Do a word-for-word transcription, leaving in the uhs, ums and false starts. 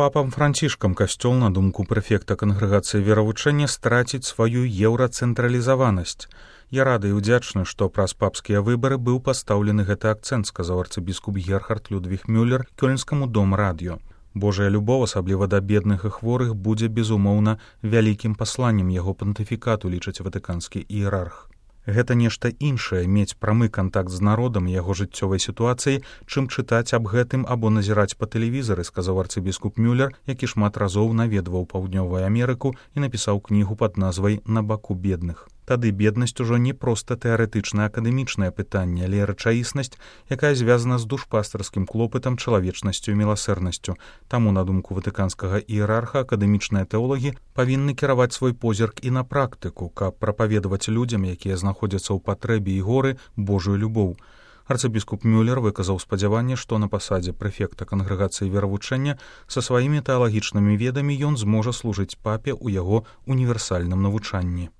папам Францішкам касцёл, на думку прэфекта кангрэгацыі веравучэння, страціць сваю еўрацэнтралізаванасць. Я рады і ўдзячны, што праз папскія выбары быў пастаўлены гэты акцэнт, сказаў арцыбіскуп Герхард Людвіг Мюллер кёльнскаму дом радыё. Божая любоў, асабліва да бедных і хворых, будзе, безумоўна, вялікім пасланнем яго пантыфікату, лічыць ватыканскі іерарх. Гэта нешта іншае, мець прамы кантакт з народам і яго жыццёвай сітуацыяй, чым чытаць аб гэтым або назіраць па тэлевізары, сказаў арцыбіскуп Мюллер, які шмат разоў наведваў Паўднёвую Амерыку і напісаў кнігу пад назвай «На баку бедных». Тады беднасць ужо не проста тэарэтычнае акадэмічнае пытанне, але рэчаіснасць, якая звязана з душпастарскім клопатам, чалавечнасцю і міласэрнасцю. Таму, на думку ватыканскага іерарха, акадэмічныя тэолагі павінны кіраваць свой позірк і на практыку, каб прапаведаваць людзям, якія знаходзяцца ў патрэбе і горы, Божую любоў. Арцыбіскуп Мюллер выказаў спадзяванне, што на пасадзе прэфекта кангрэгацыі веравучэння са сваімі тэалагічнымі ведамі ён зможа служыць папе ў яго універсальным навучанні.